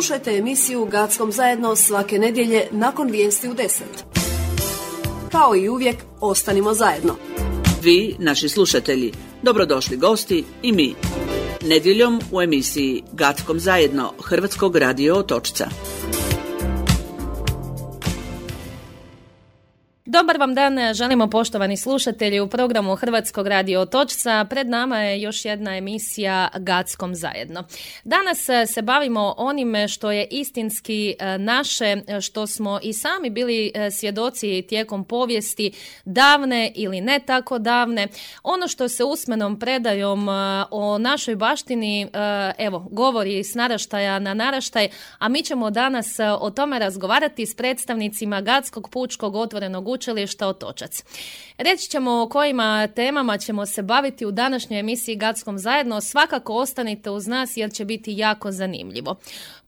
Slušajte emisiju Gackom zajedno svake nedjelje nakon vijesti u 10. Kao i uvijek, ostanimo zajedno. Vi, naši slušatelji, dobrodošli gosti i mi. Nedjeljom u emisiji Gackom zajedno Hrvatskog radio Otočca. Dobar vam dan, želimo poštovani slušatelji u programu Hrvatskog radio Otočca. Pred nama je još jedna emisija Gackom zajedno. Danas se bavimo onime što je istinski naše, što smo i sami bili svjedoci tijekom povijesti, davne ili ne tako davne. Ono što se usmenom predajom o našoj baštini, govori s naraštaja na naraštaj, a mi ćemo danas o tome razgovarati s predstavnicima Gackog pučkog otvorenog učilišta Otočac. Reći ćemo o kojima temama ćemo se baviti u današnjoj emisiji Gackom zajedno. Svakako ostanite uz nas jer će biti jako zanimljivo.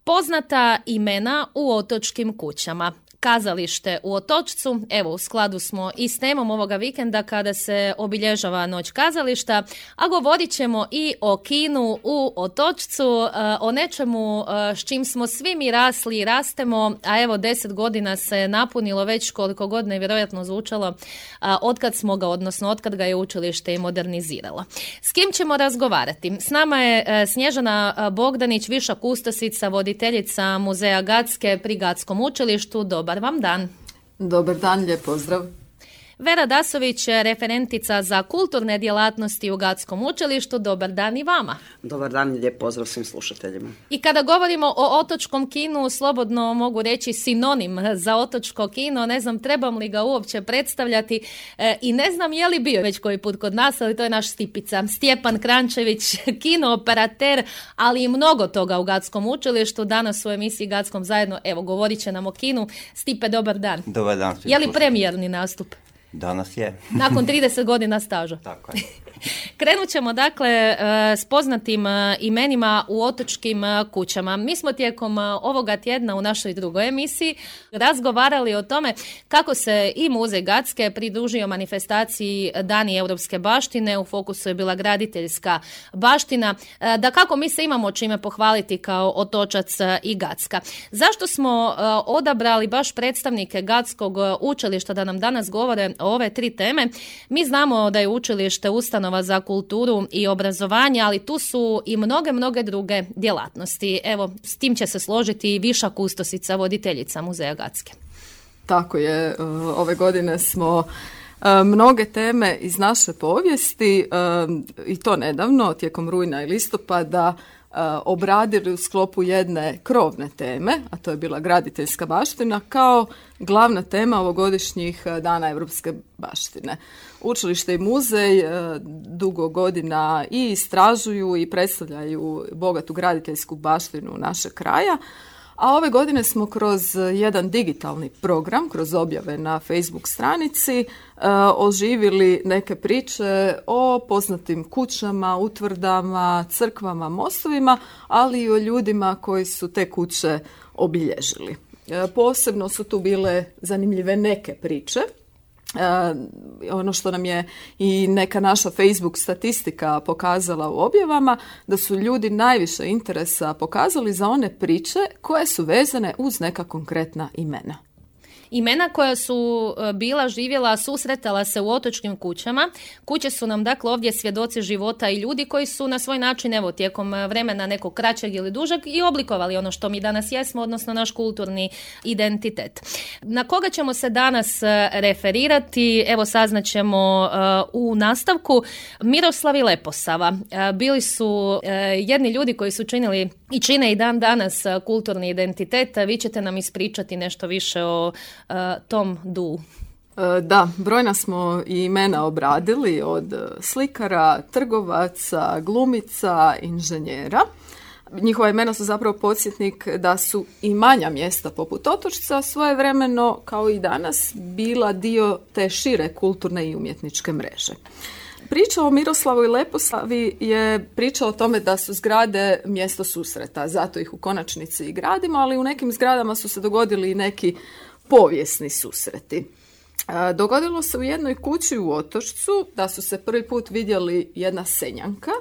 Poznata imena u otočkim kućama. Kazalište u Otočcu, evo u skladu smo i s temom ovoga vikenda kada se obilježava Noć kazališta, a govorit ćemo i o kinu u Otočcu, o nečemu s čim smo svi mi rasli i rastemo, a evo 10 godina se napunilo već, koliko god nevjerojatno zvučalo, otkad ga je učilište i moderniziralo. S kim ćemo razgovarati? S nama je Snježana Bogdanić, viša kustosica, voditeljica Muzeja Gacke pri Gackom učilištu. Dobar vam dan. Dobar dan, lijep pozdrav. Vera Dasović, referentica za kulturne djelatnosti u Gackom učilištu. Dobar dan i vama. Dobar dan i lijep pozdrav svim slušateljima. I kada govorimo o otočkom kinu, slobodno mogu reći sinonim za otočko kino. Ne znam trebam li ga uopće predstavljati i ne znam je li bio već koji put kod nas, ali to je naš Stipica. Stjepan Krančević, kinooperater, ali i mnogo toga u Gackom učilištu. Danas u emisiji Gackom zajedno, evo, govorit će nam o kinu. Stipe, dobar dan. Dobar dan. Je li premijerni nastup? Danas je. Nakon 30 godina staža. Tako je. Krenut ćemo dakle s poznatim imenima u otočkim kućama. Mi smo tijekom ovoga tjedna u našoj drugoj emisiji razgovarali o tome kako se i Muzej Gacke pridružio manifestaciji Dani europske baštine. U fokusu je bila graditeljska baština. Da kako mi se imamo čime pohvaliti kao Otočac i Gacka. Zašto smo odabrali baš predstavnike Gackog učilišta da nam danas govore o ove tri teme? Mi znamo da je učilište ustanova za kulturu i obrazovanje, ali tu su i mnoge druge djelatnosti. Evo, s tim će se složiti i viša kustosica, voditeljica Muzeja Gacke. Tako je, ove godine smo mnoge teme iz naše povijesti, i to nedavno, tijekom rujna i listopada, obradili u sklopu jedne krovne teme, a to je bila graditeljska baština, kao glavna tema ovogodišnjih Dana europske baštine. Učilište i muzej dugo godina i istražuju i predstavljaju bogatu graditeljsku baštinu našeg kraja, a ove godine smo kroz jedan digitalni program, kroz objave na Facebook stranici, oživili neke priče o poznatim kućama, utvrdama, crkvama, mostovima, ali i o ljudima koji su te kuće obilježili. Posebno su tu bile zanimljive neke priče. Ono što nam je i neka naša Facebook statistika pokazala u objavama, da su ljudi najviše interesa pokazali za one priče koje su vezane uz neka konkretna imena. Imena koja su bila, živjela, susretala se u otočkim kućama. Kuće su nam dakle ovdje svjedoci života i ljudi koji su na svoj način, evo, tijekom vremena nekog kraćeg ili dužeg i oblikovali ono što mi danas jesmo, odnosno naš kulturni identitet. Na koga ćemo se danas referirati? Evo, saznaćemo u nastavku. Miroslav i Leposava bili su jedni ljudi koji su činili i čine i dan danas kulturni identitet. Vi ćete nam ispričati nešto više o tom duu. Da, brojna smo i imena obradili, od slikara, trgovaca, glumica, inženjera. Njihova imena su zapravo podsjetnik da su i manja mjesta poput Otočca svojevremeno, kao i danas, bila dio te šire kulturne i umjetničke mreže. Priča o Miroslavu i Leposavi je priča o tome da su zgrade mjesto susreta, zato ih u konačnici i gradimo, ali u nekim zgradama su se dogodili i neki povijesni susreti. Dogodilo se u jednoj kući u Otočcu da su se prvi put vidjeli jedna senjanka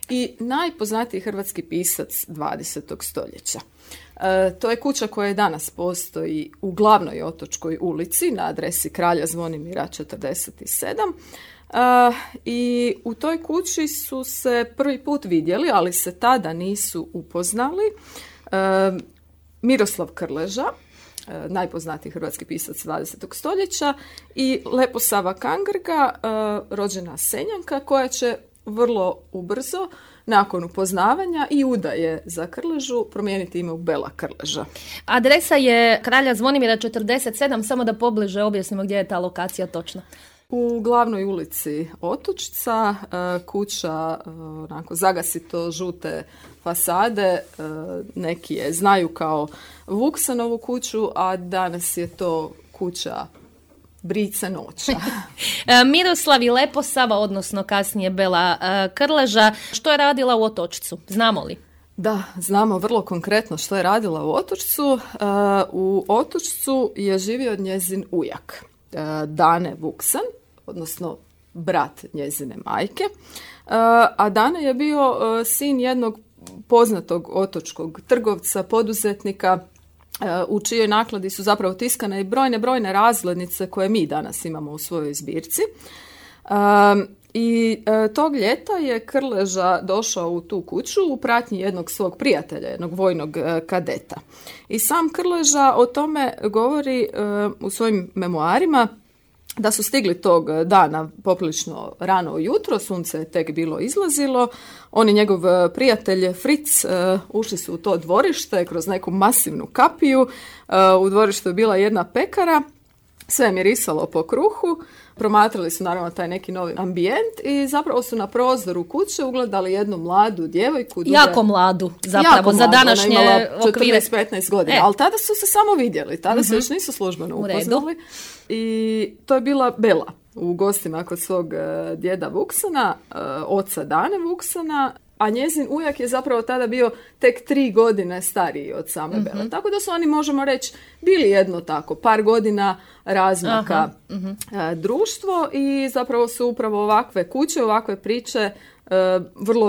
i najpoznatiji hrvatski pisac 20. stoljeća. To je kuća koja danas postoji u glavnoj Otočkoj ulici na adresi Kralja Zvonimira 47. I u toj kući su se prvi put vidjeli, ali se tada nisu upoznali, Miroslav Krleža, najpoznatiji hrvatski pisac 20. stoljeća, i Leposava Kangrga, rođena Senjanka, koja će vrlo ubrzo, nakon upoznavanja i udaje za Krležu, promijeniti ime u Bela Krleža. Adresa je Kralja Zvonimira 47, samo da pobliže objasnimo gdje je ta lokacija točna. U glavnoj ulici Otočca, kuća onako zagasito žute fasade, neki je znaju kao Vuksanovu kuću, a danas je to kuća Brice Noća. Miroslav i Leposava, odnosno kasnije Bela Krleža, što je radila u Otočcu? Znamo li? Da, znamo vrlo konkretno što je radila u Otočcu. U Otočcu je živio njezin ujak, Dane Vuksan, odnosno brat njezine majke. A Dane je bio sin jednog poznatog otočkog trgovca, poduzetnika, u čijoj nakladi su zapravo tiskane i brojne razglednice koje mi danas imamo u svojoj zbirci. I tog ljeta je Krleža došao u tu kuću u pratnji jednog svog prijatelja, jednog vojnog kadeta. I sam Krleža o tome govori u svojim memoarima, da su stigli tog dana poprilično rano ujutro, sunce je tek bilo izlazilo. On i njegov prijatelj Fritz ušli su u to dvorište kroz neku masivnu kapiju. U dvorištu je bila jedna pekara, sve je mirisalo po kruhu. Promatrali su naravno taj neki novi ambijent i zapravo su na prozoru kuće ugledali jednu mladu djevojku. Jako mladu zapravo, za današnje okvire. 14-15 godina, ali tada su se samo vidjeli, tada se još nisu službeno upoznali. I to je bila Bela u gostima kod svog djeda Vuksana, oca Dane Vuksana, a njezin ujak je zapravo tada bio tek 3 godine stariji od same Bele. Tako da su oni, možemo reći, bili jedno tako, par godina razmaka društvo i zapravo su upravo ovakve kuće, ovakve priče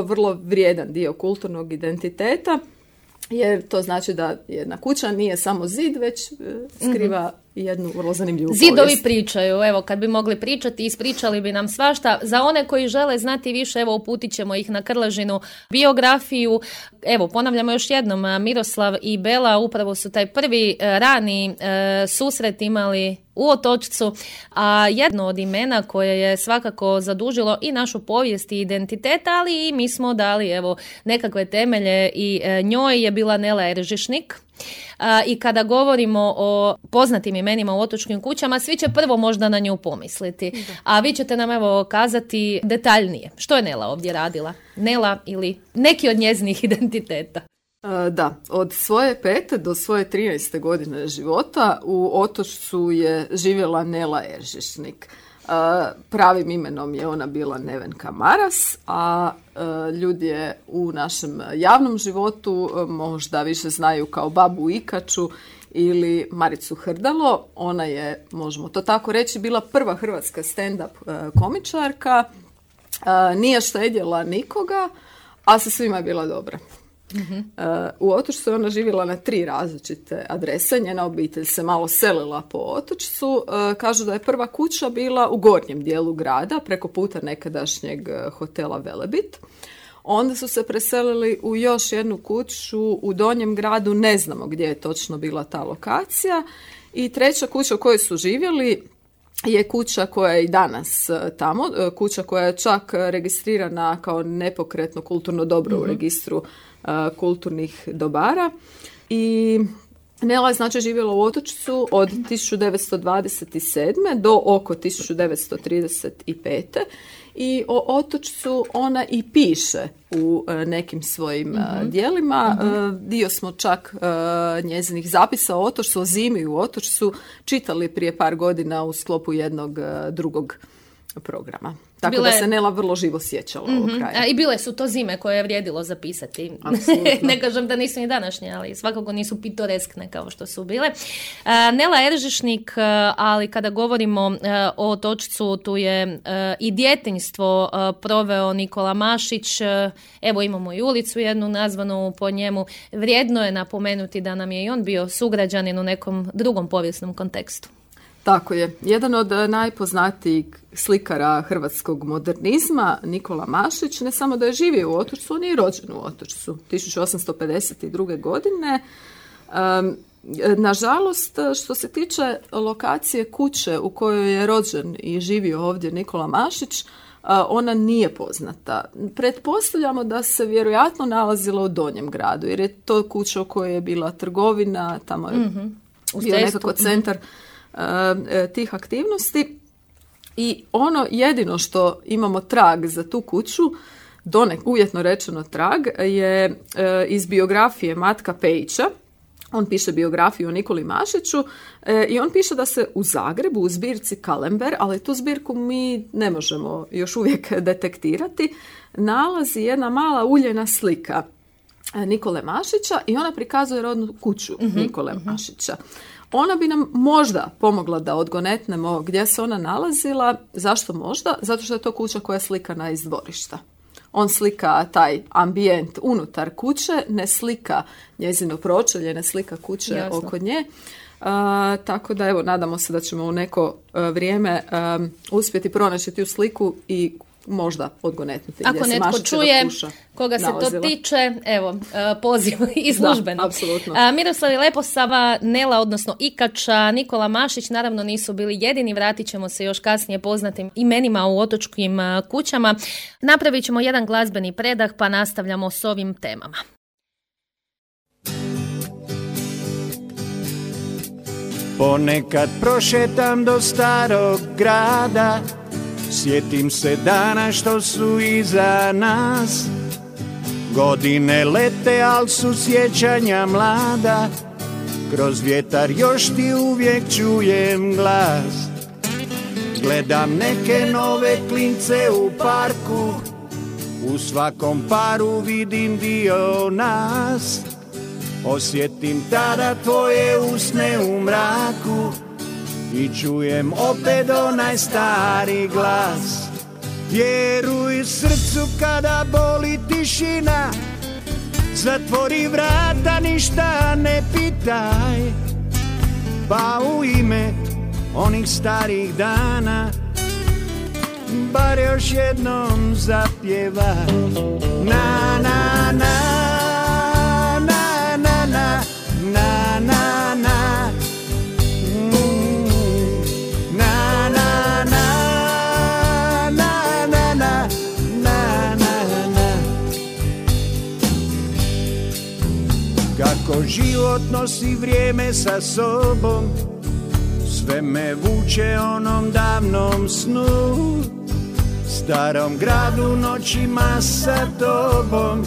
vrlo vrijedan dio kulturnog identiteta. Jer to znači da jedna kuća nije samo zid, već skriva jednu vrlo zanimljivu povijest. Zidovi pričaju, evo, kad bi mogli pričati, ispričali bi nam svašta. Za one koji žele znati više, evo, uputit ćemo ih na Krležinu biografiju. Evo, ponavljamo još jednom, Miroslav i Bela upravo su taj prvi rani susret imali u Otočcu, a jedno od imena koje je svakako zadužilo i našu povijest i identitet, ali i mi smo dali, evo, nekakve temelje i njoj je bila Nela Eržišnik. I kada govorimo o poznatim imenima u otočkim kućama, svi će prvo možda na nju pomisliti. A vi ćete nam evo kazati detaljnije. Što je Nela ovdje radila? Nela ili neki od njezinih identiteta? Da, od svoje 5. do svoje 13. godine života u Otočcu je živjela Nela Eržišnik. Pravim imenom je ona bila Nevenka Maras, a ljudi je u našem javnom životu možda više znaju kao babu Ikaču ili Maricu Hrdalo. Ona je, možemo to tako reći, bila prva hrvatska stand-up komičarka, nije štedjela nikoga, a sa svima je bila dobra. U Otočcu je ona živjela na 3 različite adrese. Njena obitelj se malo selila po Otočcu. Kažu da je prva kuća bila u gornjem dijelu grada, preko puta nekadašnjeg hotela Velebit. Onda su se preselili u još jednu kuću u donjem gradu, ne znamo gdje je točno bila ta lokacija. I treća kuća u kojoj su živjeli je kuća koja je i danas tamo, kuća koja je čak registrirana kao nepokretno kulturno dobro u registru kulturnih dobara. I Nela je znači živjela u Otočcu od 1927. do oko 1935. I o Otočcu ona i piše u nekim svojim dijelima. Dio smo čak njezinih zapisa o Otočcu, o zimi u Otočcu čitali prije par godina u sklopu jednog drugog programa. Tako da se Nela vrlo živo sjećala ovog kraja. I bile su to zime koje je vrijedilo zapisati. Ne kažem da nisu ni današnje, ali svakako nisu pitoreskne kao što su bile. Nela Eržišnik, ali kada govorimo o Otočcu, tu je i djetinjstvo proveo Nikola Mašić. Evo imamo i ulicu jednu nazvanu po njemu. Vrijedno je napomenuti da nam je i on bio sugrađanin u nekom drugom povijesnom kontekstu. Tako je. Jedan od najpoznatijih slikara hrvatskog modernizma, Nikola Mašić, ne samo da je živio u Otočcu, on je i rođen u Otočcu 1852. godine. Nažalost, što se tiče lokacije kuće u kojoj je rođen i živio ovdje Nikola Mašić, ona nije poznata. Pretpostavljamo da se vjerojatno nalazila u Donjem gradu, jer je to kuća u kojoj je bila trgovina, tamo je bio nekako centar tih aktivnosti. I ono jedino što imamo trag za tu kuću, uvjetno rečeno trag, je iz biografije Matka Pejića. On piše biografiju o Nikoli Mašiću i on piše da se u Zagrebu u zbirci Kalember, ali tu zbirku mi ne možemo još uvijek detektirati, nalazi jedna mala uljena slika Nikole Mašića i ona prikazuje rodnu kuću Nikole Mašića. Ona bi nam možda pomogla da odgonetnemo gdje se ona nalazila. Zašto možda? Zato što je to kuća koja je slikana iz dvorišta. On slika taj ambijent unutar kuće, ne slika njezino pročelje, ne slika kuće Jasno. Oko nje. Tako da evo, nadamo se da ćemo u neko vrijeme uspjeti pronaći tu sliku i možda odgonetnuti. Ako netko čuje koga se to tiče, evo, poziv i službeno. Apsolutno. Miroslav Leposava, Nela, odnosno Ikača, Nikola Mašić naravno nisu bili jedini, vratit ćemo se još kasnije poznatim imenima u otočkim kućama. Napravit ćemo jedan glazbeni predah pa nastavljamo s ovim temama. Ponekad prošetam do starog grada, sjetim se dana što su iza nas. Godine lete, al su sjećanja mlada, kroz vjetar još ti uvijek čujem glas. Gledam neke nove klince u parku, u svakom paru vidim dio nas. Osjetim tada tvoje usne u mraku i čujem opet onaj stari glas. Vjeruj srcu kada boli tišina, zatvori vrata, ništa ne pitaj, pa u ime onih starih dana bar još jednom zapjevaj. Na na na na na na na na na. Kako život nosi vrijeme sa sobom, sve me vuče onom davnom snu, starom gradu noćima sa tobom.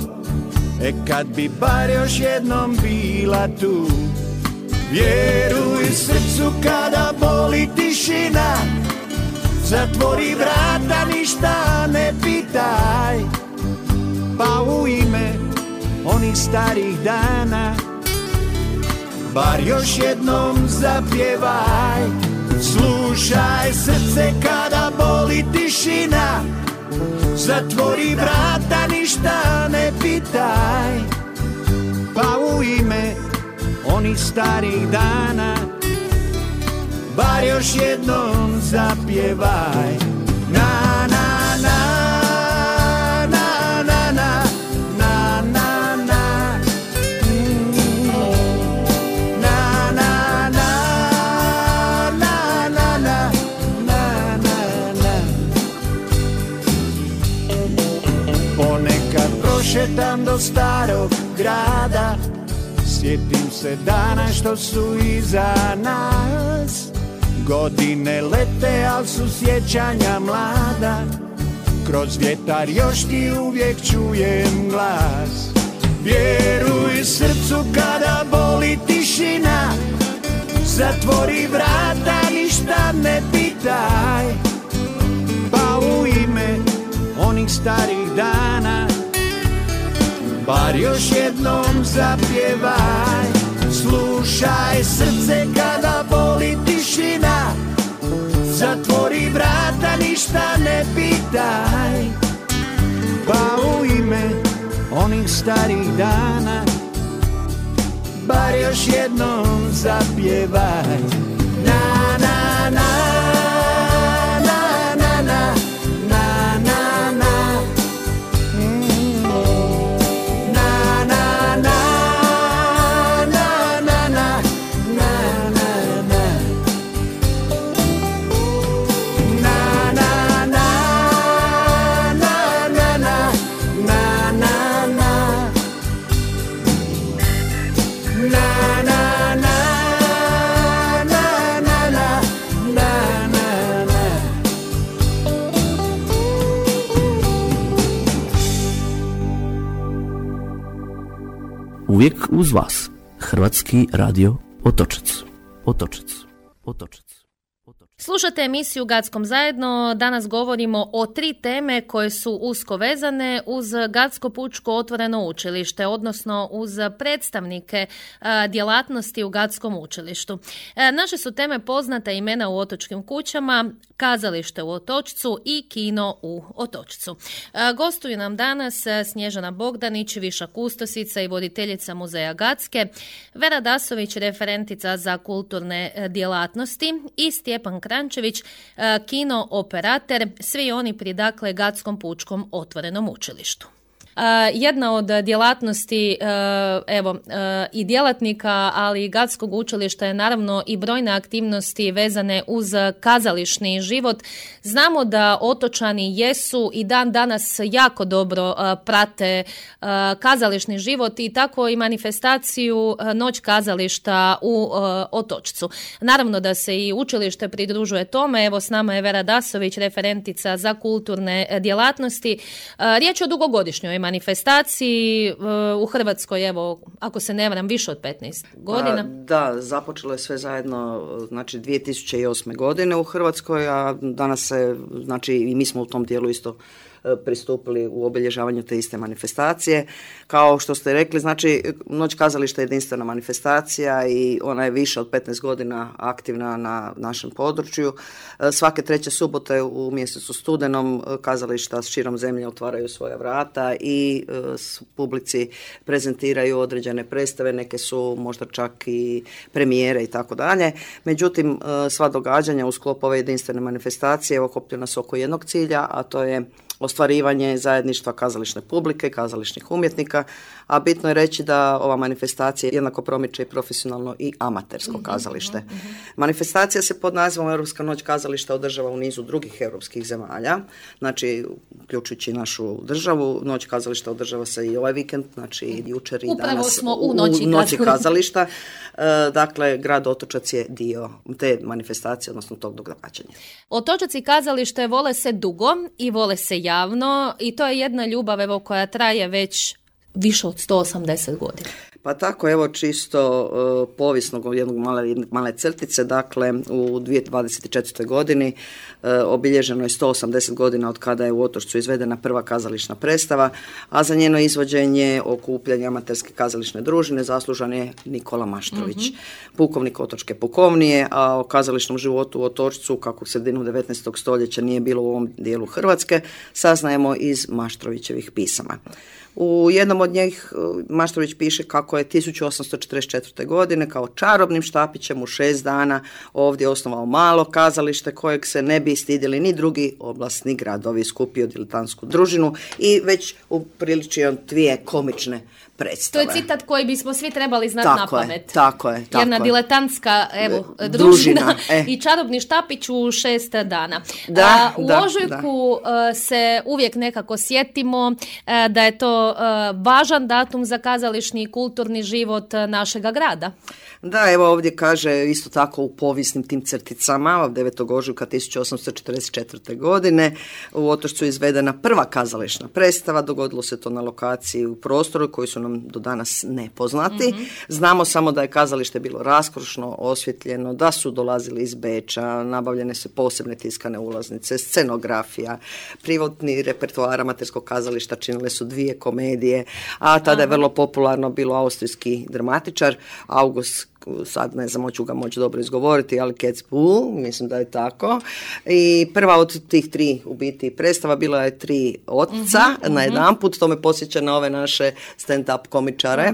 Kad bi bar još jednom bila tu. Vjeruj srcu kada boli tišina, zatvori vrata, ništa ne pitaj, pa u ime onih starih dana bar još jednom zapjevaj. Slušaj srce kada boli tišina, zatvori vrata, ništa ne pitaj, pa u ime onih starih dana bar još jednom zapjevaj. Na na na na na na na na na na na na na na. Ponekad prošetam do starog grada, sjetim se dana što su iza nas. Godine lete, al su sjećanja mlada, kroz vjetar još ti uvijek čujem glas. Vjeruj srcu kada boli tišina, zatvori vrata, ništa ne pitaj, pa starih dana. Bar još jednom zapjevaj, slušaj srce kada boli tišina. Zatvori vrata, ništa ne pitaj, pa u ime onih starih dana bar još jednom zapjevaj. Na na na na na na na na na. Uvijek uz vas, Hrvatski radio Otočac. Otočac. Otočac. Slušate emisiju Gatskom zajedno. Danas govorimo o 3 teme koje su usko vezane uz Gatsko pučko otvoreno učilište, odnosno uz predstavnike djelatnosti u Gatskom učilištu. Naše su teme poznata imena u otočkim kućama, kazalište u Otočcu i kino u Otočcu. Gostuju nam danas Snježana Bogdanić, viša kustosica i voditeljica muzeja Gatske, Vera Dasović, referentica za kulturne djelatnosti i Stjepan Krančević, kino operater, svi oni pri dakle Gatskom pučkom otvorenom učilištu. Jedna od djelatnosti i djelatnika, ali i Gatskog učilišta je naravno i brojne aktivnosti vezane uz kazališni život. Znamo da otočani jesu i dan danas jako dobro prate kazališni život i tako i manifestaciju Noć kazališta u Otočcu. Naravno da se i učilište pridružuje tome. Evo s nama je Vera Dasović, referentica za kulturne djelatnosti. Riječ je o dugogodišnjoj manifestaciji u Hrvatskoj, evo, ako se ne varam, više od 15 godina. Da, započelo je sve zajedno, znači 2008. godine u Hrvatskoj, a danas se, znači i mi smo u tom dijelu isto pristupili u obilježavanju te iste manifestacije. Kao što ste rekli, znači Noć kazališta je jedinstvena manifestacija i ona je više od 15 godina aktivna na našem području. Svake 3. subote u mjesecu studenom kazališta širom zemlje otvaraju svoja vrata i publici prezentiraju određene predstave, neke su možda čak i premijere i tako dalje. Međutim, sva događanja u sklopu ove jedinstvene manifestacije okupljena su oko jednog cilja, a to je ostvarivanje zajedništva kazališne publike, kazališnih umjetnika, a bitno je reći da ova manifestacija jednako promiče i profesionalno i amatersko kazalište. Manifestacija se pod nazivom Europska noć kazališta održava u nizu drugih europskih zemalja, znači uključujući našu državu. Noć kazališta održava se i ovaj vikend, znači i jučer i upravo danas smo u noći kazališta. Dakle, grad Otočac je dio te manifestacije, odnosno tog događanja. Otočac i kazalište vole se dugo i vole se javno i to je jedna ljubav evo, koja traje već više od 180 godina. Pa tako, evo čisto povijesnog jednog male crtice, dakle u 2024. godini obilježeno je 180 godina od kada je u Otočcu izvedena prva kazališna predstava, a za njeno izvođenje, okupljanje amaterske kazališne družine zaslužan je Nikola Maštrović, pukovnik Otočke pukovnije, a o kazališnom životu u Otočcu, kako u sredinu 19. stoljeća nije bilo u ovom dijelu Hrvatske, saznajemo iz Maštrovićevih pisama. U jednom od njih Maštrović piše kako je 1844. godine kao čarobnim štapićem u 6 dana ovdje osnovao malo kazalište kojeg se ne bi stidjeli ni drugi oblastni gradovi, skupio diletantsku družinu i već upriličio 2 komične predstave. To je citat koji bismo svi trebali znati na pamet. Tako je. Jedna diletantska družina i čarobni štapić u 6 dana. U ožujku se uvijek nekako sjetimo da je to vrlo važan datum za kazališni i kulturni život našega grada. Da, evo ovdje kaže isto tako u povijesnim tim crticama, 9. ožujka 1844. godine u Otočcu je izvedena prva kazališna predstava, dogodilo se to na lokaciji u prostoru koji su nam do danas nepoznati. Znamo samo da je kazalište bilo raskošno, osvjetljeno, da su dolazili iz Beča, nabavljene su posebne tiskane ulaznice, scenografija, privatni repertoar amaterskog kazališta činile su 2 komedije, a tada je vrlo popularno bilo austrijski dramatičar August, sad ne znam, hoću ga moći dobro izgovoriti, ali Kotzebue, mislim da je tako. I prva od tih 3 u biti predstava bila je 3 otca na jedan put, to me podsjeća na ove naše stand-up komičare.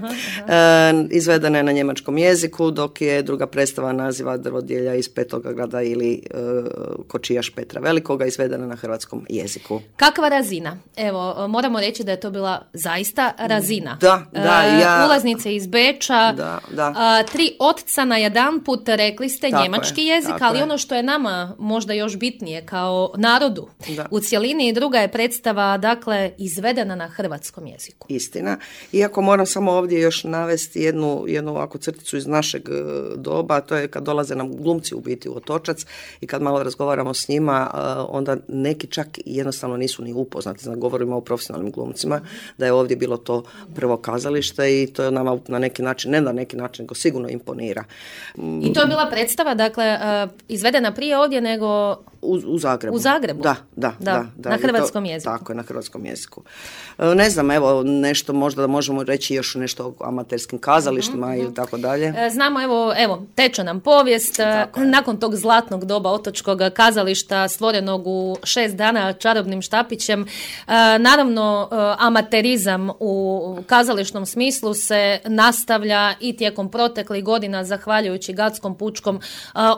Izvedena je na njemačkom jeziku, dok je druga predstava naziva Drvodjelja iz Petograda ili Kočijaš Petra Velikoga, izvedena na hrvatskom jeziku. Kakva razina? Evo, moramo reći da je to bila zaista razina. Da, ulaznice iz Beča, da. 3 otca na jedan put, rekli ste, Tako njemački je, jezik, ali ono što je nama možda još bitnije kao narodu u cjelini, druga je predstava, dakle, izvedena na hrvatskom jeziku. Istina. Iako moram samo ovdje još navesti jednu ovakvu crticu iz našeg doba, to je kad dolaze nam glumci u biti u Otočac i kad malo razgovaramo s njima, onda neki čak jednostavno nisu ni upoznati. Znači, govorimo o profesionalnim glumcima, da je ovdje bilo to prvo kazalište i to je nama na neki način, ne na neki način, nego sigurno imponira. I to je bila predstava, dakle, izvedena prije ovdje nego u Zagrebu. U Zagrebu? Da. Na hrvatskom jeziku. Tako je, na hrvatskom jeziku. Ne znam, evo, nešto možda da možemo reći još nešto o amaterskim kazalištima ili tako dalje. Znamo, evo, teče nam povijest. Nakon tog zlatnog doba otočkog kazališta stvorenog u 6 dana čarobnim štapićem, naravno, amaterizam u kazališnom smislu se nastavlja i tijekom proteklih godina, zahvaljujući Gatskom pučkom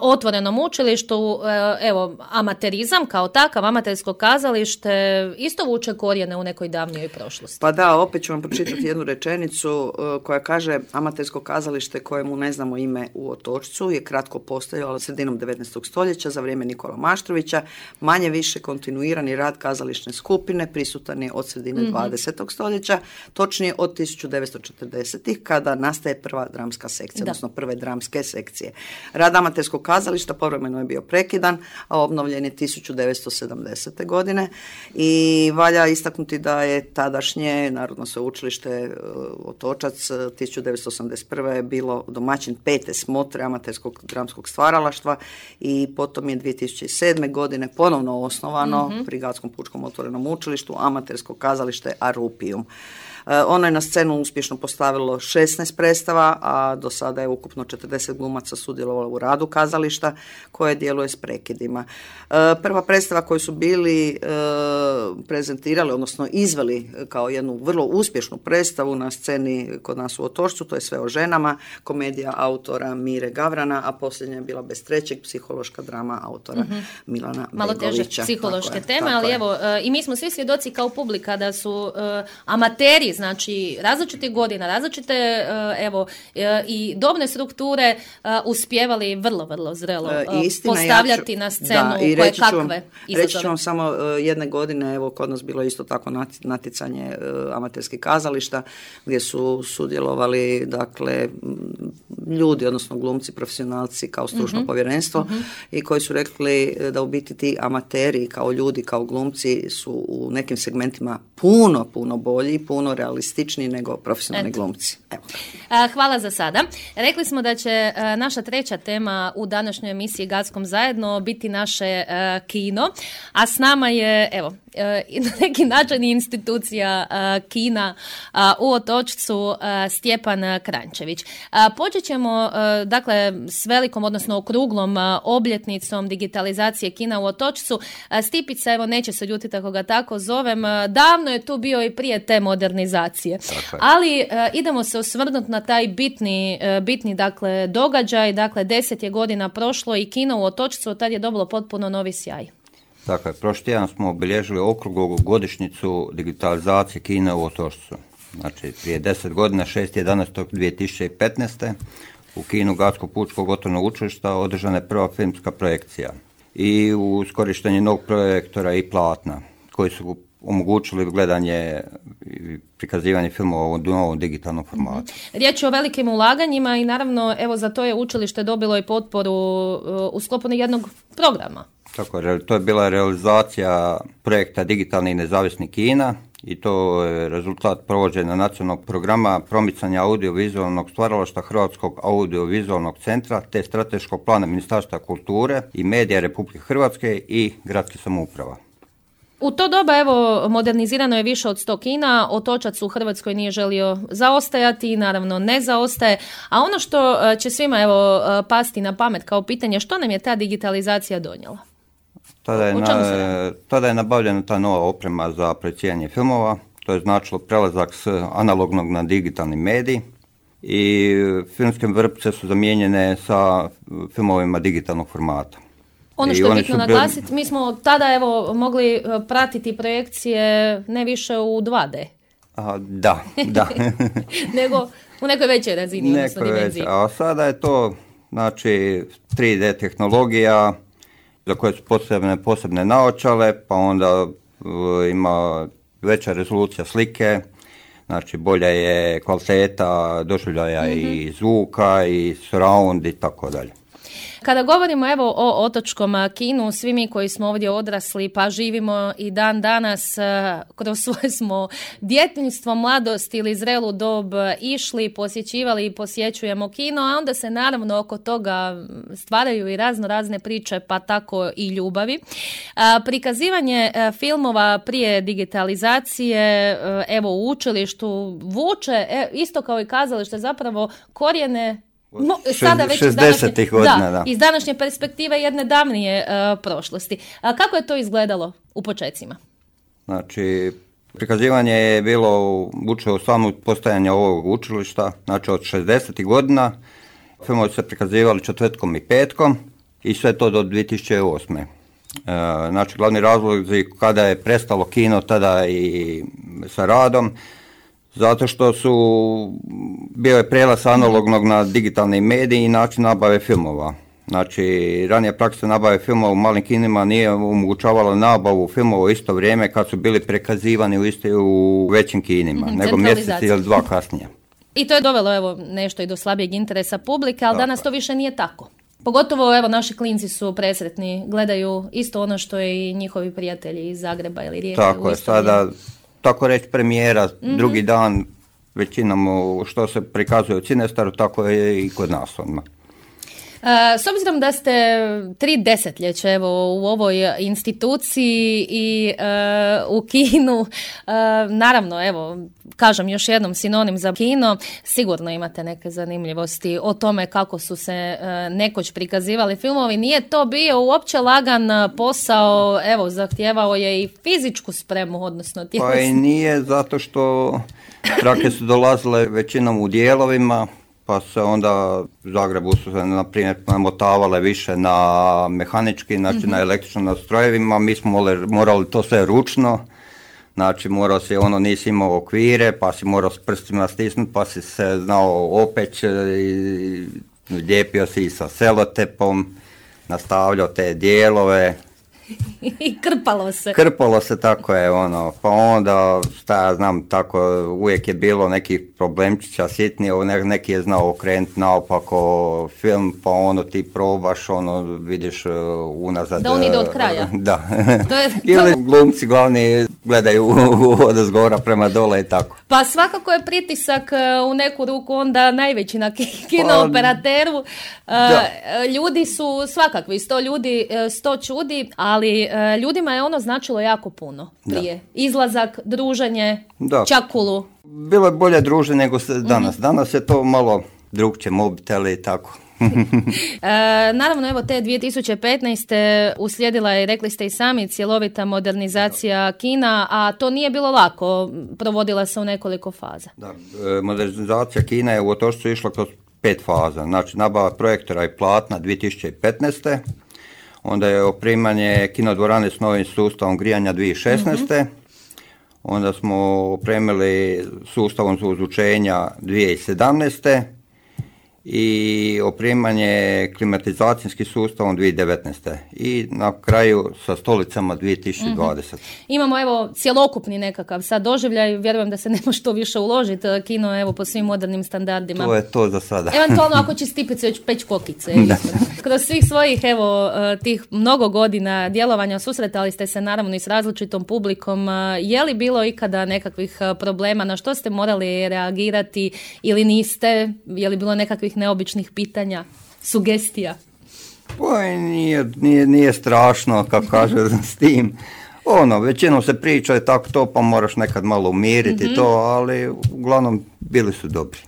otvorenom učilištu. Evo, amaterizam kao takav, amatersko kazalište isto vuče korijene u nekoj davnijoj prošlosti. Pa da, opet ću vam pročitati jednu rečenicu koja kaže: amatersko kazalište kojemu ne znamo ime u Otočcu je kratko postojalo sredinom 19. stoljeća za vrijeme Nikola Maštrovića. Manje više kontinuirani rad kazališne skupine prisutan je od sredine 20. stoljeća, točnije od 1940-ih kada nastaje prva dramska sekcija, odnosno prve dramske sekcije. Rad amaterskog kazališta povremeno je bio prekidan, a obnovljen je 1970. godine i valja istaknuti da je tadašnje Narodno sveučilište Otočac 1981. bilo domaćin 5. smotre amaterskog dramskog stvaralaštva i potom je 2007. godine ponovno osnovano pri Gatskom pučkom otvorenom učilištu amatersko kazalište Arupium. Ono je na scenu uspješno postavilo 16 predstava, a do sada je ukupno 40 glumaca sudjelovalo u radu kazališta koje djeluje s prekidima. Prva predstava koju su bili prezentirali, odnosno izveli kao jednu vrlo uspješnu predstavu na sceni kod nas u Otočcu, to je Sve o ženama, komedija autora Mire Gavrana, a posljednja je bila Bez trećeg, psihološka drama autora Milana Malo Begovića. teže psihološke teme, ali evo, i mi smo svi svjedoci kao publika da su amateri, znači različitih godina, različite i dobne strukture uspijevali vrlo zrelo postavljati na scenu koje kakve izazove. Reći ću vam samo jedne godine, evo kod nas bilo isto tako natjecanje amaterskih kazališta gdje su sudjelovali dakle ljudi, odnosno glumci, profesionalci kao stručno povjerenstvo i koji su rekli da u biti ti amateri kao ljudi, kao glumci su u nekim segmentima puno bolji, puno realističniji nego profesionalni glumci. Evo. Hvala za sada. Rekli smo da će naša treća tema u današnjoj emisiji Gatskom zajedno biti naše kino, a s nama je, na neki način institucija kina u Otočcu Stjepan Kranjčević. Počet ćemo dakle s velikom, odnosno okruglom obljetnicom digitalizacije kina u Otočcu. Stipica, neće se ljutiti ako ga tako zovem, davno je tu bio i prije te modernizacije. Ali idemo se osvrnuti na taj bitni dakle događaj, dakle 10 je godina prošlo i kino u Otočcu tad je dobilo potpuno novi sjaj. Dakle, prošli tjedan smo obilježili okruglu godišnjicu digitalizacije kina u Otočcu. Znači, prije 10 godina, 6.11.2015. u kinu Gatskog pučkog otvorenog učilišta održana je prva filmska projekcija i uz korištenje novog projektora i platna, koji su omogućili gledanje i prikazivanje filmova u novom digitalnom formatu. Riječ je o velikim ulaganjima i naravno evo za to je učilište dobilo i potporu u sklopu jednog programa. Tako je, to je bila realizacija projekta Digitalni i nezavisni Kina i to je rezultat provođenja nacionalnog programa promicanja audiovizualnog stvaralaštva Hrvatskog audiovizualnog centra te strateškog plana Ministarstva kulture i medija Republike Hrvatske i gradskih samouprava. U to doba, evo, modernizirano je više od 100 kina, Otočac u Hrvatskoj nije želio zaostajati i naravno ne zaostaje, a ono što će svima, evo, pasti na pamet kao pitanje, što nam je ta digitalizacija donijela? Tada je nabavljena ta nova oprema za projiciranje filmova, to je značilo prelazak s analognog na digitalni medij i filmske vrpce su zamijenjene sa filmovima digitalnog formata. Ono što je bitno naglasiti, mi smo tada evo mogli pratiti projekcije ne više u 2D. Da. Nego u nekoj većoj razini, odnosno dimenziji. A sada je to, znači, 3D tehnologija za koje su posebne naočale, pa onda ima veća rezolucija slike, znači bolja je kvaliteta doživljaja i zvuka i surround i tako dalje. Kada govorimo evo o otočkom kinu, svi mi koji smo ovdje odrasli pa živimo i dan danas kroz svoje smo djetinjstvo, mladost ili zrelu dob išli, posjećivali i posjećujemo kino, a onda se naravno oko toga stvaraju i razne priče, pa tako i ljubavi. Prikazivanje filmova prije digitalizacije, evo u učilištu vuče, isto kao i kazalište, zapravo korijene sada već 60-ih godina, iz današnje perspektive jedne davnije prošlosti. A kako je to izgledalo u počecima? Znači, prikazivanje je bilo vuče u samu postojanje ovog učilišta, znači od 60-ih godina. Filmovi se prikazivali četvrtkom i petkom i sve to do 2008. Znači, glavni razlog kada je prestalo kino tada i sa radom, zato što bio je prijelaz analognog na digitalni medij i način nabave filmova. Znači, ranija praksa nabave filmova u malim kinima nije omogućavala nabavu filmova u isto vrijeme kad su bili prikazivani u većim kinima, nego mjesec ili dva kasnije. I to je dovelo evo nešto i do slabijeg interesa publike, ali danas to više nije tako. Pogotovo evo naši klinci su presretni, gledaju isto ono što i njihovi prijatelji iz Zagreba ili Rijeke. Tako je, sada tako reći premijera, drugi dan većinom što se prikazuje u Cinestaru, tako je i kod nas odmah. S obzirom da ste 3 desetljeća evo u ovoj instituciji i u kinu, naravno evo kažem još jednom sinonim za kino, sigurno imate neke zanimljivosti o tome kako su se nekoć prikazivali filmovi. Nije to bio uopće lagan posao, evo zahtijevao je i fizičku spremu, odnosno tjelesnu. Pa i nije, zato što trake su dolazile većinom u dijelovima, pa se onda u Zagrebu su se, na primjer, namotavale više na mehanički, znači na električnim nastrojevima. Mi smo morali to sve ručno, znači morao si, nisi imao okvire, pa si morao s prstima stisnuti, pa si se znao opeć, lijepio si i sa selotepom, nastavljao te dijelove. I krpalo se. Krpalo se, tako je, pa onda, šta ja znam, tako uvijek je bilo nekih problemčića sitnije, neki je znao okrenuti naopako film, pa ti probaš, vidiš unazad. Da on ide od kraja. Da. Ili glumci glavni gledaju od zgora prema dole i tako. Pa svakako je pritisak u neku ruku onda najveći na kinooperateru. Ljudi su svakakvi, 100 ljudi, 100 čudi, ali ljudima je ono značilo jako puno prije. Da. Izlazak, druženje, čakulu. Bilo je bolje druženje nego danas. Danas je to malo drugčije, mobiteli i tako. Naravno, evo te 2015. uslijedila je, rekli ste i sami, cjelovita modernizacija kina, a to nije bilo lako, provodila se u nekoliko faza. Da, modernizacija kina je u Otočcu išla kroz 5 faza, znači nabava projektora i platna 2015. Onda je opremanje kinodvorane s novim sustavom grijanja 2016. Onda smo opremili sustavom za ozvučenja 2017. i opremanje klimatizacijskim sustavom 2019. I na kraju sa stolicama 2020. Imamo evo cjelokupni nekakav sad doživljaj, vjerujem da se ne može to više uložiti, kino evo po svim modernim standardima. To je to za sada. Eventualno ako će stipice već peć kokice. Kroz svih svojih evo tih mnogo godina djelovanja susretali ste se naravno i s različitom publikom. Je li bilo ikada nekakvih problema, na što ste morali reagirati ili niste? Je li bilo nekakvih neobičnih pitanja, sugestija? Nije strašno, kako kaže s tim. Većinom se priča je tako to, pa moraš nekad malo umiriti to, ali uglavnom bili su dobri.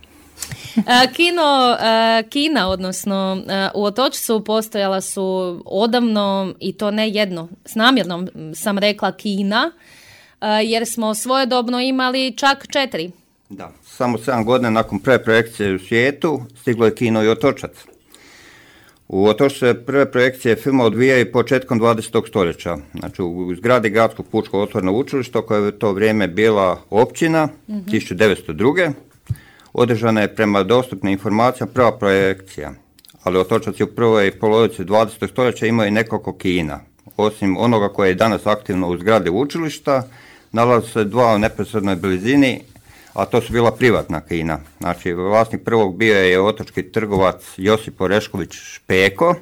Kina, odnosno u Otočcu postojala su odavno i to ne jedno, s namjernom sam rekla kina, jer smo svojedobno imali čak 4. Da, samo 7 godina nakon prve projekcije u svijetu stiglo je kino i Otočac. U Otočcu se prve projekcije filma odvijaju početkom 20. stoljeća. Znači u zgradi Gradskog pučkog otvorenog učilišta koja je u to vrijeme bila općina 1902. Održana je prema dostupnim informacijama prva projekcija. Ali Otočac je u prvoj polovici 20. stoljeća imao i nekoliko kina. Osim onoga koje je danas aktivno u zgradi učilišta, nalaze se 2 u neposrednoj blizini, a to su bila privatna kina. Znači, vlasnik prvog bio je otočki trgovac Josip Orešković Špeko,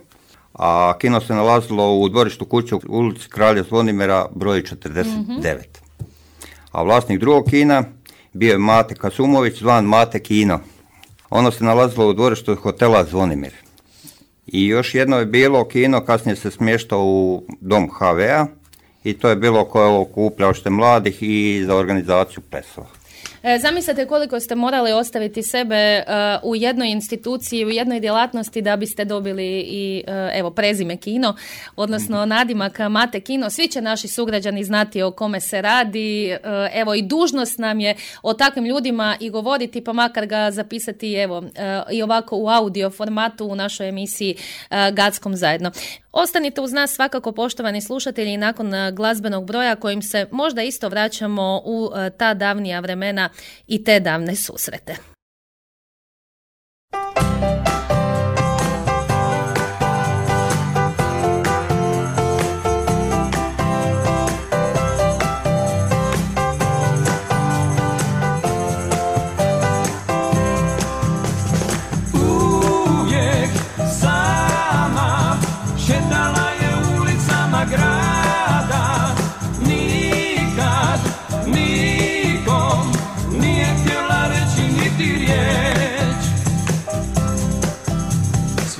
a kino se nalazilo u dvorištu kuće u ulici Kralja Zvonimira broj 49. A vlasnik drugog kina bio je Mate Kasumović, zvan Mate Kino. Ono se nalazilo u dvorištu hotela Zvonimir. I još jedno je bilo kino, kasnije se smještao u dom HV-a i to je bilo koje okupljalište mladih i za organizaciju plesova. Zamislite koliko ste morali ostaviti sebe u jednoj instituciji, u jednoj djelatnosti da biste dobili i evo prezime Kino, odnosno nadimak Mate Kino. Svi će naši sugrađani znati o kome se radi. Evo i dužnost nam je o takvim ljudima i govoriti, pa makar ga zapisati evo i ovako u audio formatu u našoj emisiji Gackom zajedno. Ostanite uz nas svakako, poštovani slušatelji, nakon glazbenog broja kojim se možda isto vraćamo u ta davnija vremena i te davne susrete.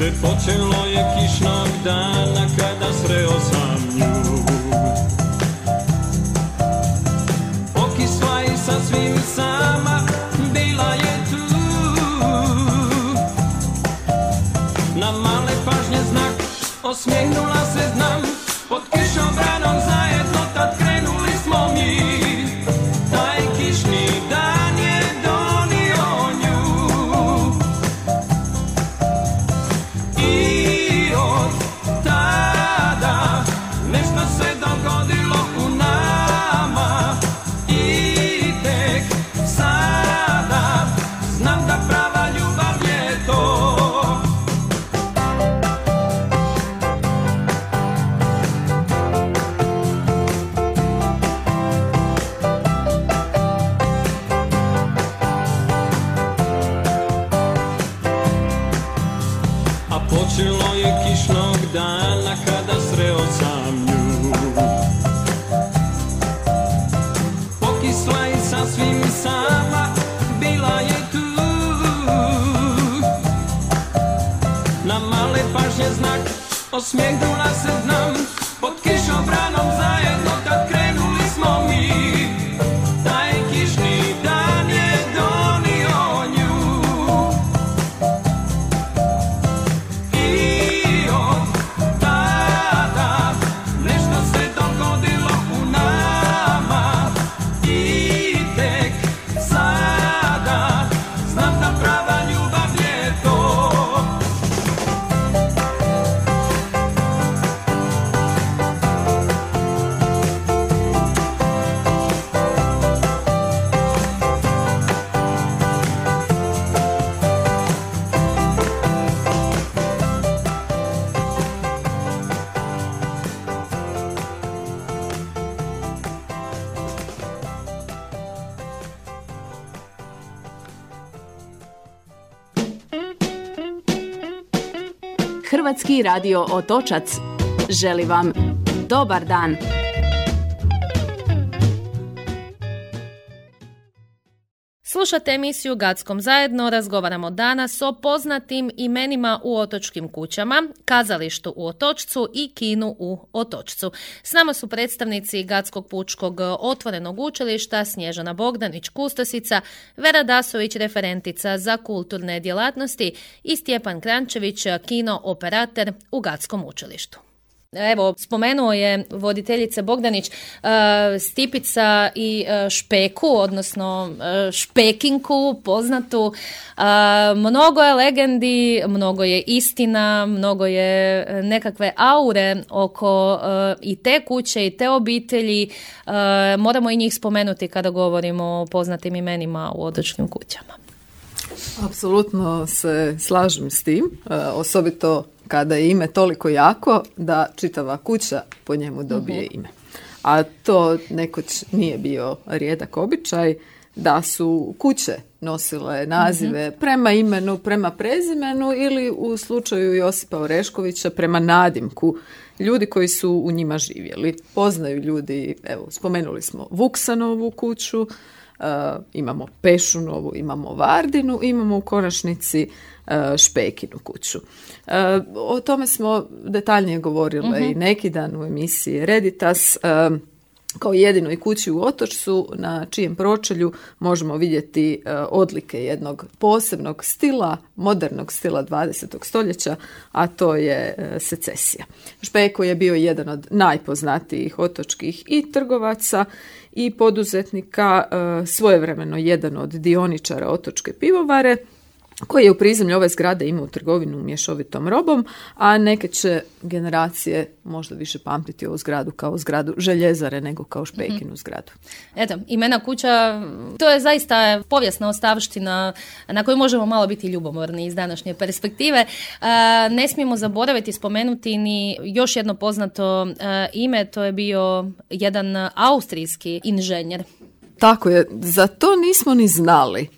Sve počelo je kišnog dana kada sreo sam nju. Pokisla i sasvim sama bila je tu. Na male pažnje znak osmijehnula se znam. Pod kišobranom zajedno tad krenuli smo mi. Taj kišni dan je donio nju. I od tada nešto se dogodilo u nama. I tek sada znam da prava ljubav je to. Počelo je kišnog dana kada sreo sam nju. Pokisla i sasvim sama bila je tu. Na male pažnje znak osmijehnula se znam. Pod kišobranom zajedno kad krenuli smo mi. Taj kišni dan je donio nju. Hrvatski radio Otočac želi vam dobar dan. Slušate emisiju Gackom zajedno, razgovaramo danas o poznatim imenima u otočkim kućama, kazalištu u Otočcu i kinu u Otočcu. S nama su predstavnici Gatskog pučkog otvorenog učilišta Snježana Bogdanić-Kustosica, Vera Dasović, referentica za kulturne djelatnosti i Stjepan Krančević, kino operater u Gatskom učilištu. Evo, spomenuo je voditeljice Bogdanić Stipica i Špeku, odnosno Špekinku poznatu. Mnogo je legendi, mnogo je istina, mnogo je nekakve aure oko i te kuće i te obitelji. Moramo i njih spomenuti kada govorimo o poznatim imenima u otočkim kućama. Apsolutno se slažem s tim, osobito kada je ime toliko jako da čitava kuća po njemu dobije ime. A to nekoć nije bio rijedak običaj da su kuće nosile nazive prema imenu, prema prezimenu ili u slučaju Josipa Oreškovića prema nadimku ljudi koji su u njima živjeli. Poznaju ljudi, evo, spomenuli smo Vuksanovu kuću, imamo Pešunovu, imamo Vardinu, imamo u konačnici Špekinu kuću. O tome smo detaljnije govorile i neki dan u emisiji Reditas, kao jedinoj kući u Otočcu na čijem pročelju možemo vidjeti odlike jednog posebnog stila, modernog stila 20. stoljeća, a to je secesija. Špeko je bio jedan od najpoznatijih otočkih i trgovaca i poduzetnika, svojevremeno jedan od dioničara Otočke pivovare, koji je u prizemlju ove zgrade imao trgovinu mješovitom robom, a neke će generacije možda više pamtiti ovu zgradu kao zgradu željezare nego kao Špekinu zgradu. Eto, imena kuća, to je zaista povijesna ostavština na koju možemo malo biti ljubomorni iz današnje perspektive. Ne smijemo zaboraviti spomenuti ni još jedno poznato ime, to je bio jedan austrijski inženjer. Tako je, za to nismo ni znali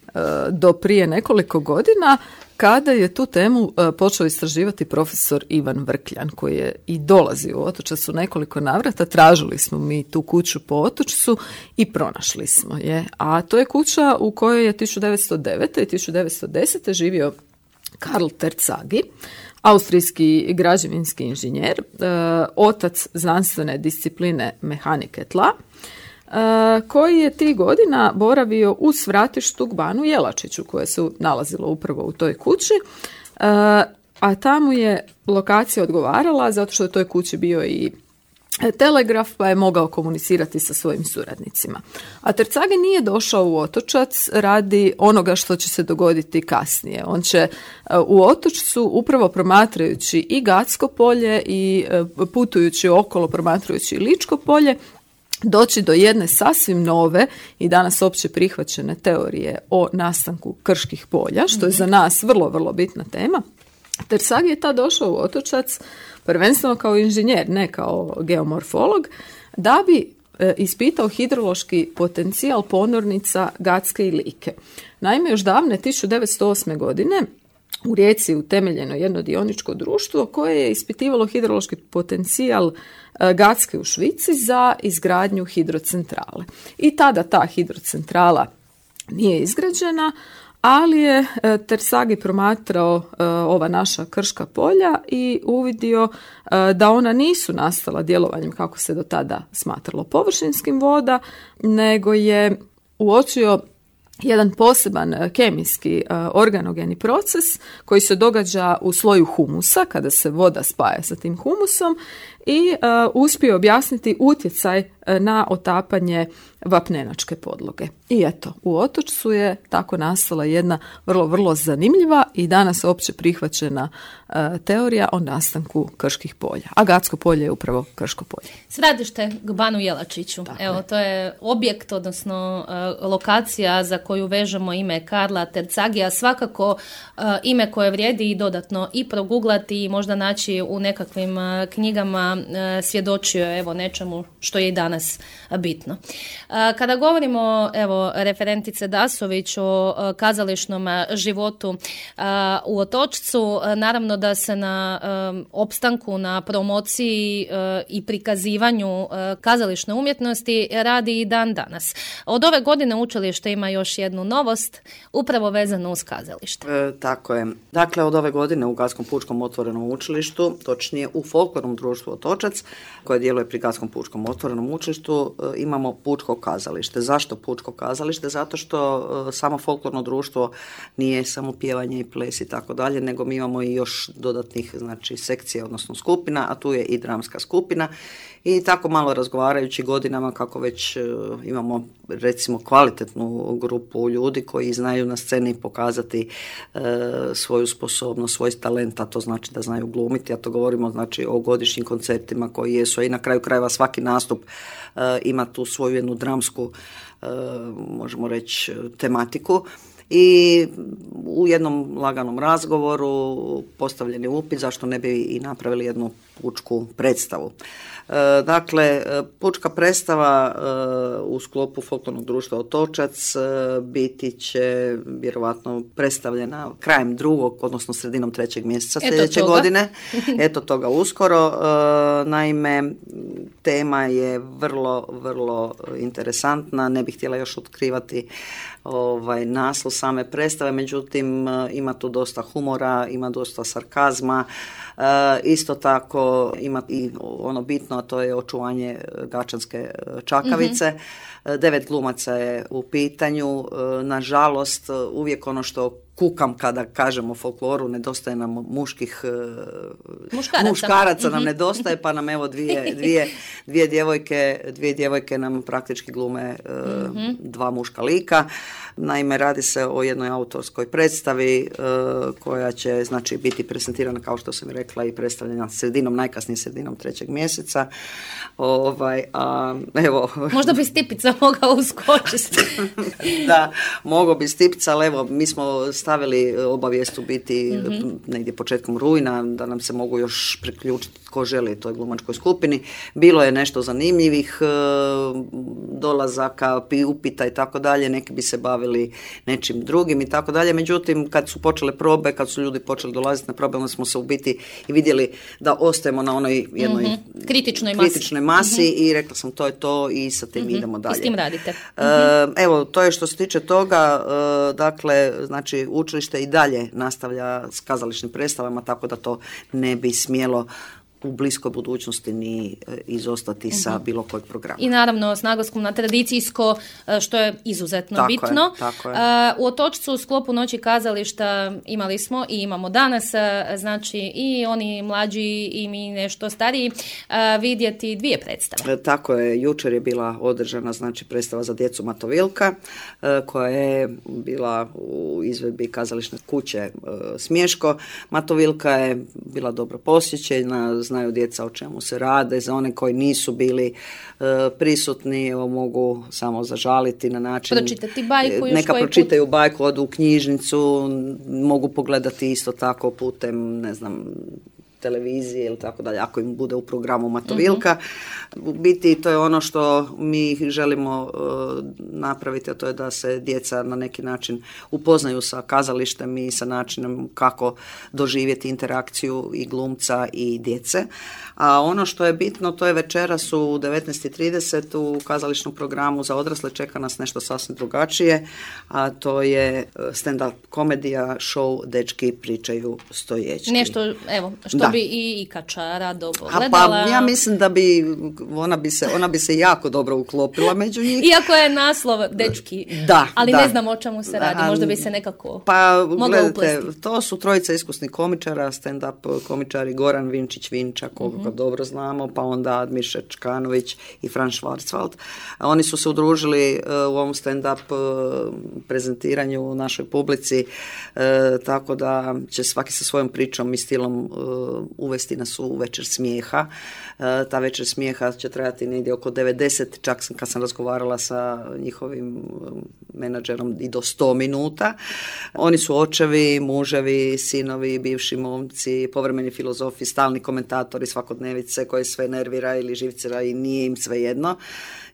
do prije nekoliko godina kada je tu temu počeo istraživati profesor Ivan Vrkljan, koji je i dolazi u Otočac u nekoliko navrata. Tražili smo mi tu kuću po Otočcu i pronašli smo je. A to je kuća u kojoj je 1909. i 1910. živio Karl Terzaghi, austrijski građevinski inženjer, otac znanstvene discipline mehanike tla, koji je tih godina boravio u svratištu k banu Jelačiću, koje se nalazilo upravo u toj kući, a tamo je lokacija odgovarala zato što je u toj kući bio i telegraf, pa je mogao komunicirati sa svojim suradnicima. A Terzaghi nije došao u Otočac radi onoga što će se dogoditi kasnije. On će u Otočcu, upravo promatrajući i Gatsko polje i putujući okolo promatrajući i Ličko polje, doći do jedne sasvim nove i danas opće prihvaćene teorije o nastanku krških polja, što je za nas vrlo, vrlo bitna tema. Terzaghi je tad došao u Otočac prvenstveno kao inženjer, ne kao geomorfolog, da bi ispitao hidrološki potencijal ponornica Gatske i Like. Naime, još davne 1908. godine u Rijeci utemeljeno jedno dioničko društvo koje je ispitivalo hidrološki potencijal Gatske u Švici za izgradnju hidrocentrale. I tada ta hidrocentrala nije izgrađena, ali je Terzaghi promatrao ova naša krška polja i uvidio da ona nisu nastala djelovanjem, kako se do tada smatralo, površinskim voda, nego je uočio jedan poseban kemijski organogeni proces koji se događa u sloju humusa kada se voda spaja sa tim humusom i uspio objasniti utjecaj na otapanje vapnenačke podloge. I eto, u Otočcu je tako nastala jedna vrlo, vrlo zanimljiva i danas opće prihvaćena teorija o nastanku krških polja. A Gatsko polje je upravo krško polje. Središte k banu Jelačiću. Evo, to je objekt, odnosno lokacija za koju vežemo ime Karla Terzaghija, svakako ime koje vrijedi i dodatno i proguglati i možda naći u nekakvim knjigama godina svjedočio evo nečemu što je i danas bitno. Kada govorimo, evo, referentice Dasović o kazališnom životu u Otočcu, naravno da se na opstanku, na promociji i prikazivanju kazališne umjetnosti radi i dan danas. Od ove godine učilište ima još jednu novost, upravo vezanu uz kazalište. Tako je. Dakle, od ove godine u Gadskom pučkom otvorenom učilištu, točnije u Folklornom društvu Otočac, koje djeluje pri Gadskom pučkom otvorenom učilištu, imamo pučko kazalište. Zašto pučko kazalište? Zato što samo folklorno društvo nije samo pjevanje i ples i tako dalje, nego mi imamo i još dodatnih, znači, sekcija, odnosno skupina, a tu je i dramska skupina. I tako malo razgovarajući godinama kako već imamo, recimo, kvalitetnu grupu ljudi koji znaju na sceni pokazati svoju sposobnost, svoj talent, a to znači da znaju glumiti, a to govorimo, znači, o godišnjim koncertima koji jesu, i na kraju krajeva svaki nastup ima tu svoju jednu dramsku, možemo reći, tematiku. I u jednom laganom razgovoru postavljen je upit zašto ne bi i napravili jednu pučku predstavu. Dakle, pučka predstava u sklopu Folklornog društva Otočac biti će vjerovatno predstavljena krajem 2. odnosno sredinom 3. mjeseca sljedeće godine. Eto toga uskoro. Naime, tema je vrlo, vrlo interesantna. Ne bih htjela još otkrivati naslov same predstave, međutim ima tu dosta humora, ima dosta sarkazma. Isto tako ima i ono bitno, a to je očuvanje gačanske čakavice. 9 glumaca je u pitanju. Nažalost, uvijek ono što kukam kada kažemo folkloru, nedostaje nam muškaraca nam nedostaje, pa nam evo dvije djevojke nam praktički glume 2 muška lika. Naime, radi se o jednoj autorskoj predstavi koja će, znači, biti prezentirana, kao što sam rekla, i predstavljena najkasnije sredinom 3. mjeseca. Evo. Možda bi Stipica mogao uskočiti. Da, mogao bi Stipica, ali evo, mi smo stavili obavijest u biti negdje početkom rujna, da nam se mogu još priključiti tko želi toj glumačkoj skupini. Bilo je nešto zanimljivih dolazaka, upita i tako dalje, neki bi se bavili nečim drugim i tako dalje. Međutim, kad su počele probe, kad su ljudi počeli dolaziti na probe, onda smo se u biti i vidjeli da ostajemo na onoj jednoj kritičnoj masi i rekla sam to je to i sa tim idemo dalje. I s tim radite. Evo, to je što se tiče toga. Dakle, znači, učilište i dalje nastavlja s kazališnim predstavama, tako da to ne bi smjelo u bliskoj budućnosti ni izostati sa bilo kojeg programa. I naravno s naglaskom na tradicijsko, što je izuzetno bitno. Tako je. U Otočcu u sklopu Noći kazališta imali smo i imamo danas, znači i oni mlađi i mi nešto stariji, vidjeti 2 predstave. Tako je, jučer je bila održana, znači, predstava za djecu Matovilka, koja je bila u izvedbi kazališne kuće Smješko. Matovilka je bila dobro posjećena, znaju djeca o čemu se rade. Za one koji nisu bili prisutni, evo, mogu samo zažaliti na način. Pročitati bajku još neka koji pročitaju bajku, odu u knjižnicu, mogu pogledati isto tako putem, ne znam, televizije ili tako dalje, ako im bude u programu Matovilka. U biti to je ono što mi želimo napraviti, a to je da se djeca na neki način upoznaju sa kazalištem i sa načinom kako doživjeti interakciju i glumca i djece. A ono što je bitno, to je večeras u 19:30 u kazališnom programu za odrasle čeka nas nešto sasvim drugačije, a to je stand-up komedija, show Dečki pričaju stojećki. Nešto, evo, što bi i Ikača rado gledala. Pa ja mislim da bi ona bi se jako dobro uklopila među njih. Iako je naslov Dečki, ali ne znam o čemu se radi, možda bi se nekako mogla uplesti. To su 3 iskusnih komičara, stand-up komičari Goran Vinčić-Vinča, koga dobro znamo, pa onda Admir Čkanović i Franz Schwarzwald. Oni su se udružili u ovom stand-up prezentiranju u našoj publici, tako da će svaki sa svojom pričom i stilom uvesti nas u večer smijeha. Ta večer smijeha će trajati negdje oko 90, čak kad sam razgovarala sa njihovim menadžerom i do 100 minuta. Oni su očevi, muževi, sinovi, bivši momci, povremeni filozofi, stalni komentatori svakodnevice koje sve nervira ili živcira i nije im svejedno.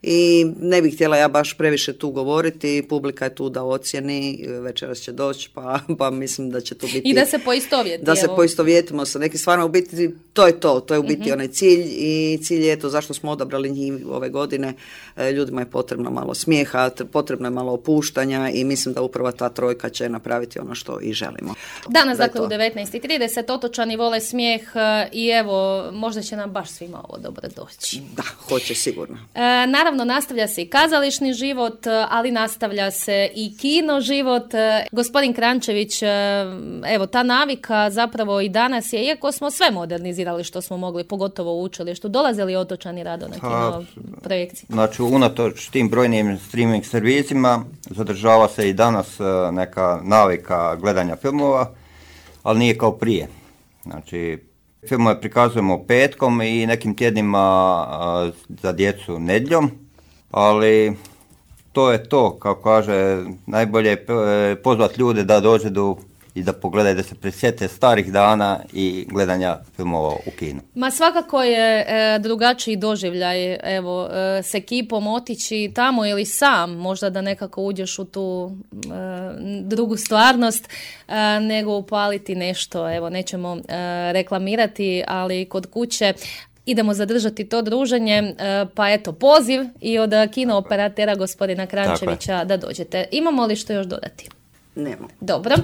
I ne bih htjela ja baš previše tu govoriti, publika je tu da ocijeni, večeras će doći, pa mislim da će to biti... I da se poistovjeti. Da se poistovjetimo sa nekim stvarima, u biti to je u biti onaj cilj i cilj je to zašto smo odabrali njih ove godine. Ljudima je potrebno malo smijeha, potrebno je malo opuštanja i mislim da upravo ta trojka će napraviti ono što i želimo. Danas, dakle, u 19:30 otočani vole smijeh i evo, možda će nam baš svima ovo dobro doći. Da, hoće sigurno. Naravno, nastavlja se i kazališni život, ali nastavlja se i kino život. Gospodin Krančević, evo, ta navika zapravo i danas je, iako smo sve modernizirali što smo mogli, pogotovo u učilištu, dolazili otočani rado na kino projekcije. Znači, unatoč tim brojnim streaming servisima zadržava se i danas neka navika gledanja filmova, ali nije kao prije. Znači, filmove prikazujemo petkom i nekim tjednima za djecu nedjeljom, ali to je to, kako kaže, najbolje je pozvati ljude da dođu i da pogledaju, da se prisjete starih dana i gledanja filmova u kinu. Ma svakako je drugačiji doživljaj, evo, s ekipom otići tamo ili sam, možda da nekako uđeš u tu drugu stvarnost, nego upaliti nešto, evo, nećemo reklamirati, ali kod kuće idemo zadržati to druženje, pa eto, poziv i od kinooperatera gospodina Krančevića da dođete. Imamo li što još dodati? Nemo. Dobro.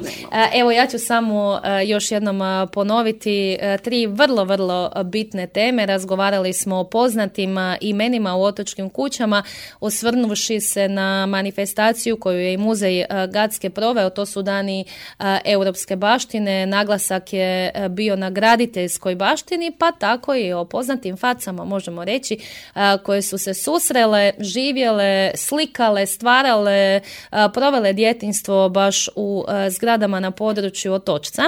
Evo, ja ću samo još jednom ponoviti 3 vrlo, vrlo bitne teme. Razgovarali smo o poznatim imenima u otočkim kućama, osvrnuvši se na manifestaciju koju je i muzej Gacke proveo. To su dani europske baštine. Naglasak je bio na graditeljskoj baštini, pa tako i o poznatim facama, možemo reći, koje su se susrele, živjele, slikale, stvarale, provele djetinjstvo baš u zgradama na području Otočca.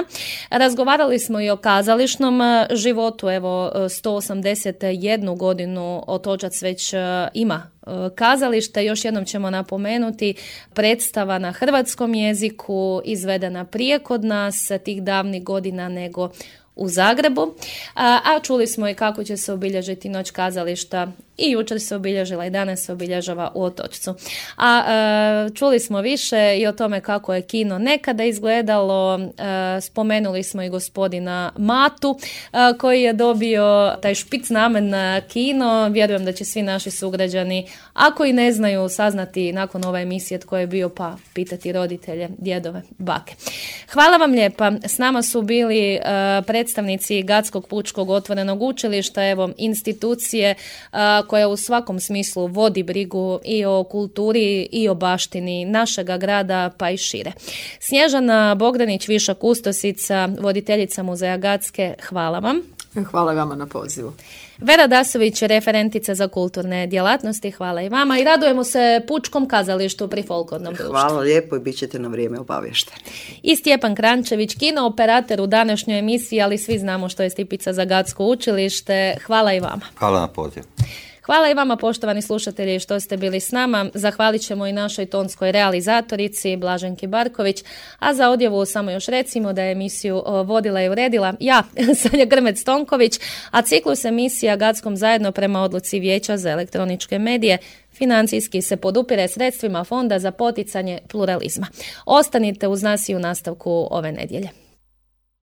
Razgovarali smo i o kazališnom životu. Evo, 181 godinu Otočac već ima kazalište. Još jednom ćemo napomenuti, predstava na hrvatskom jeziku, izvedena prije kod nas tih davnih godina nego u Zagrebu, a čuli smo i kako će se obilježiti Noć kazališta i jučer se obilježila i danas se obilježava u Otočcu. A čuli smo više i o tome kako je kino nekada izgledalo. Spomenuli smo i gospodina Matu koji je dobio taj špic namen na kino. Vjerujem da će svi naši sugrađani, ako i ne znaju, saznati nakon ove emisije tko je bio, pa pitati roditelje, djedove, bake. Hvala vam lijepa. S nama su bili predstavnici Gatskog pučkog otvorenog učilišta, evo, institucije koja u svakom smislu vodi brigu i o kulturi i o baštini našega grada, pa i šire. Snježana Bogdanić, viša kustosica, voditeljica muzeja Gacke, hvala vam. Hvala vama na pozivu. Vera Dasović, referentica za kulturne djelatnosti, hvala i vama i radujemo se Pučkom kazalištu pri folklornom društvu. Hvala lijepo i bit ćete na vrijeme obavješteni. I Stjepan Krančević, kinooperater u današnjoj emisiji, ali svi znamo što je Stipica za Gatsko učilište. Hvala i vama. Hvala na poziv. Hvala i vama, poštovani slušatelji, što ste bili s nama. Zahvalit ćemo i našoj tonskoj realizatorici Blaženki Barković, a za odjavu samo još recimo da je emisiju vodila i uredila ja, Sanja Grmec-Tonković, a ciklus emisija Gackom zajedno prema odluci Vijeća za elektroničke medije financijski se podupire sredstvima Fonda za poticanje pluralizma. Ostanite uz nas i u nastavku ove nedjelje.